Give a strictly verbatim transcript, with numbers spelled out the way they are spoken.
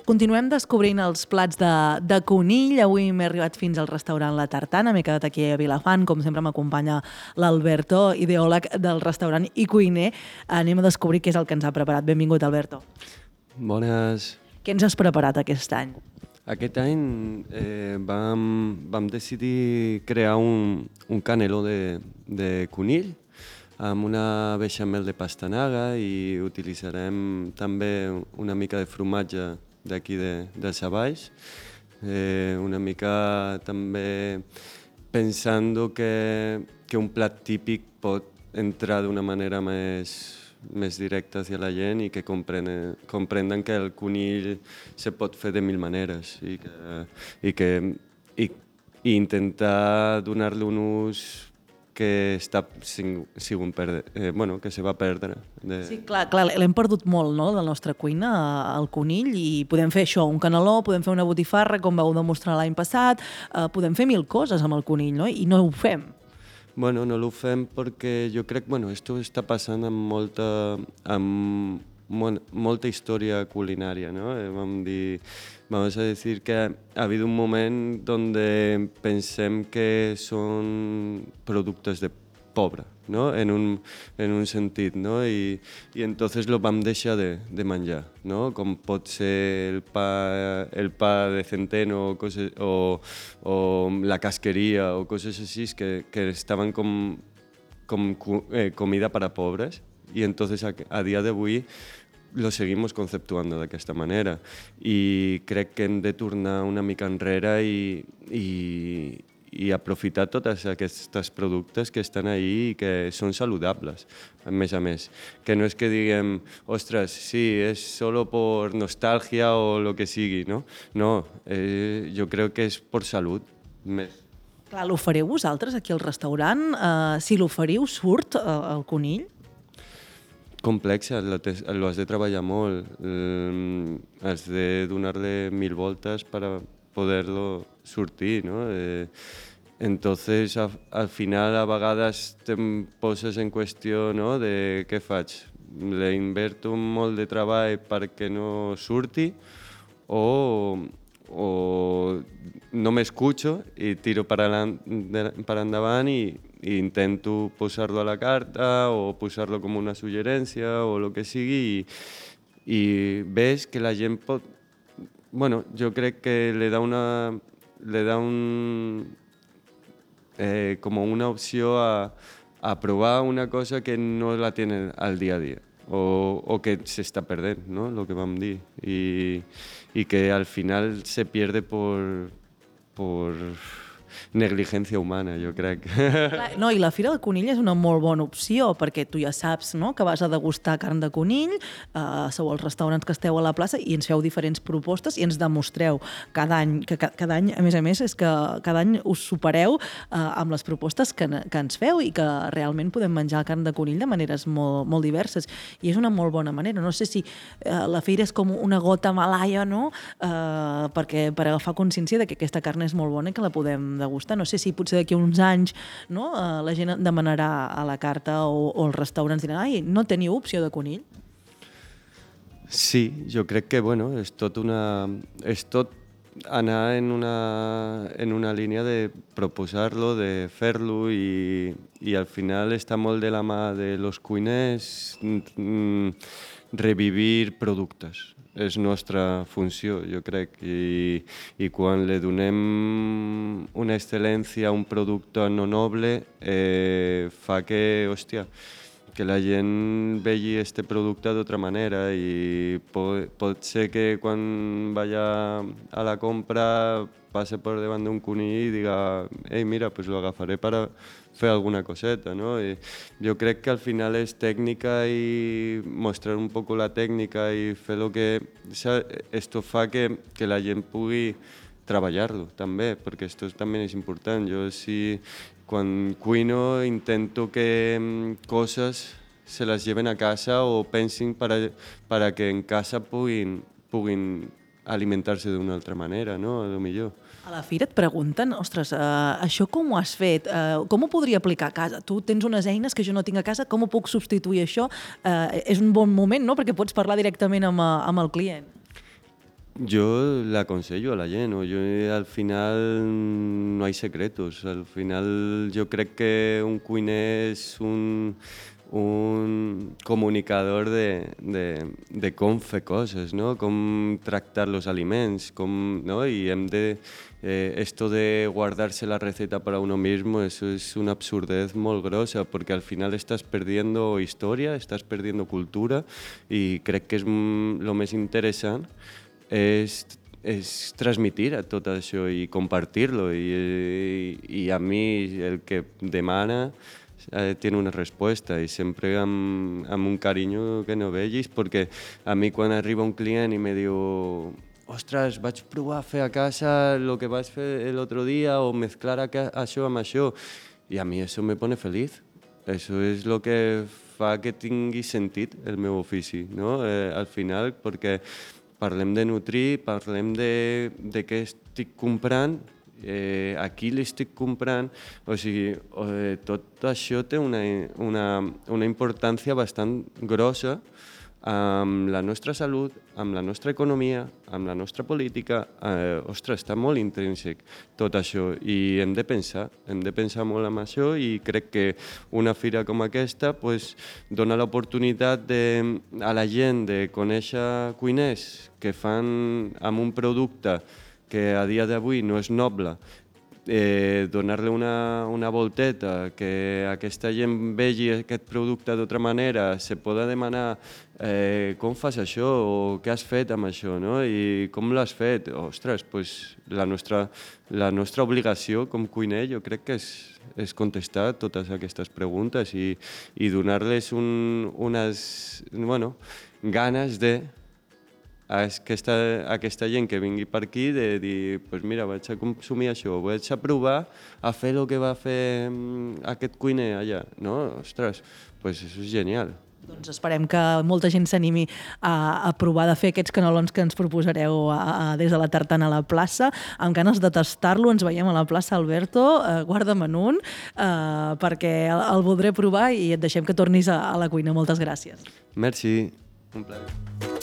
Continuem descobrint els plats de, de conill. Avui m'he arribat fins al restaurant La Tartana. M'he quedat aquí a Vilafant. Com sempre m'acompanya l'Alberto, ideòleg del restaurant i cuiner. Anem a descobrir què és el que ens ha preparat. Benvingut, Alberto. Bones. Què ens has preparat aquest any? Aquest any eh, vam, vam decidir crear un, un caneló de, de conill amb una beixamel de pastanaga i utilitzarem també una mica de formatge d'aquí de, dels Avalls, eh, una mica també pensant que, que un plat típic pot entrar d'una manera més, més directa hacia la gent i que comprenen, comprenen que el conill se pot fer de mil maneres i, que, i, que, i, i intentar donar-li un ús que està sigut perdre, eh, bueno, que se va perdre. De... Sí, clar, clar l'hem perdut molt, no?, de la nostra cuina, el conill, i podem fer això, un caneló, podem fer una botifarra, com vau demostrar l'any passat, eh, podem fer mil coses amb el conill, no?, i no ho fem. Bueno, no ho fem perquè jo crec, bueno, esto està passant amb molta, amb mon, molta història culinària, ¿no? Eh, vam dir, vamos a decir que ha habido un moment donde pensem que són productes de pobre, ¿no? En un, en un sentit, ¿no? I, i entonces lo vam deixar de, de menjar, ¿no? Com pot ser el pa, el pa de centeno o, coses, o, o la casqueria o coses així que, que estaven com, com eh, comida para pobres y entonces a, a día de avui lo seguimos conceptuando d'aquesta manera i crec que hem de tornar una mica enrere i, i, i aprofitar tots aquests productes que estan ahí i que són saludables, a més a més. Que no és que diguem, ostres, sí, és solo por nostàlgia o lo que sigui, no? No, eh, jo crec que és per salut més. Clar, l'oferiu vosaltres aquí al restaurant? Uh, si l'oferiu, surt uh, el conill? Complexa, lo, te, lo has de treballar molt, eh, has de donar-li mil voltes per poder-lo sortir, ¿no? Eh, entonces, a, al final, a vegades te poses en qüestió, ¿no?, de què faig? Le inverto molt de treball perquè no surti o, o no m'escucho i tiro per, per endavant i i intento posar-lo a la carta o posar-lo com una suggerència o el que sigui i, i ves que la gent pot... Bueno, jo crec que le da una... le da un... Eh, como una opció a, a provar una cosa que no la tienen al día a día o, o que se està perdent, ¿no?, lo que vam dir i, i que al final se pierde por... por negligència humana, jo crec. No, i la Fira del Conill és una molt bona opció, perquè tu ja saps, no?, que vas a degustar carn de conill, eh, sou els restaurants que esteu a la plaça i ens feu diferents propostes i ens demostreu cada any, que cada any, a més a més, és que cada any us supereu eh, amb les propostes que, que ens feu i que realment podem menjar carn de conill de maneres molt, molt diverses. I és una molt bona manera. No sé si eh, la Fira és com una gota malaia, no?, eh, perquè per agafar consciència de que aquesta carn és molt bona i que la podem degustar. No sé si potser d'aquí uns anys, no, eh, la gent demanarà a la carta o, o els restaurants diran, ai, no teniu opció de conill? Sí, jo crec que, bueno, és tot una... és tot anar en una, en una línia de proposar-lo, de fer-lo i, i al final està molt de la mà de los cuiners mm, revivir productes. És nostra funció, jo crec, i, i quan li donem una excel·lència a un producte no noble, eh, fa que, hòstia, que la gent vegi este producte d'altra manera i pot, pot ser que quan vaya a la compra passe per davant d'un conill i diga ei, mira, pues lo agafaré para fer alguna coseta, ¿no? I jo crec que al final és tècnica i mostrar un poco la tècnica i fer lo que... Esto fa que, que la gent pugui treballar-lo també, perquè esto també és important. Jo si quan cuino intento que coses se les lleven a casa o pensin para, para que en casa puguin, puguin alimentar-se d'una altra manera, no? A lo millor. A la Fira et pregunten, ostres, uh, això com ho has fet? Uh, com ho podria aplicar a casa? Tu tens unes eines que jo no tinc a casa, com ho puc substituir això? Uh, és un bon moment, no?, perquè pots parlar directament amb, amb el client. Yo le aconsello a la gent, o yo al final no hay secretos, al final yo crec que un cuiner és un, un comunicador de, de, de com fer coses, ¿no? Com tractar los aliments, com, ¿no? Y hem de, eh, esto de guardarse la receta para uno mismo, eso es una absurdez molt grossa, porque al final estás perdiendo historia, estás perdiendo cultura, y crec que és mm, lo més interessant és, és transmitir a tot això i compartir-lo. I, i, I a mi el que demana eh, tiene una resposta i sempre amb, amb un carinyo que no vegis, perquè a mi quan arriba un client i me diu ostres, vaig provar a fer a casa el que vaig fer l'altre dia o mezclar això amb això, i a mi això me pone feliz. Això és el que fa que tingui sentit el meu ofici, no? Eh, al final, perquè parlem de nutrir, parlem de, de què estic comprant, eh, a qui l'estic comprant, o sigui, eh, tot això té una, una, una importància bastant grossa amb la nostra salut, amb la nostra economia, amb la nostra política. Eh, ostres, està molt intrínsec tot això i hem de pensar, hem de pensar molt en això i crec que una fira com aquesta pues, dona l'oportunitat de, a la gent de conèixer cuiners que fan amb un producte que a dia d'avui no és noble, eh, donar-li una, una volteta, que aquesta gent vegi aquest producte d'altra manera, se poda demanar eh, com fas això o què has fet amb això, no? I com l'has fet? Ostres, pues, la, nostra, la nostra obligació com cuiner jo crec que és, és contestar totes aquestes preguntes i, i donar-les un, unes bueno, ganes de a aquesta, a aquesta gent que vingui per aquí de dir, pues mira, vaig a consumir això, vaig a provar a fer el que va fer aquest cuiner allà, no? Ostres, pues això és genial. Doncs esperem que molta gent s'animi a, a provar de fer aquests canelons que ens proposareu a, a, des de la tartana a la plaça. Amb ganes de tastar-lo, ens veiem a la plaça Alberto, eh, guarda'm en un, eh, perquè el, el voldré provar i et deixem que tornis a, a la cuina. Moltes gràcies. Merci, un plaer.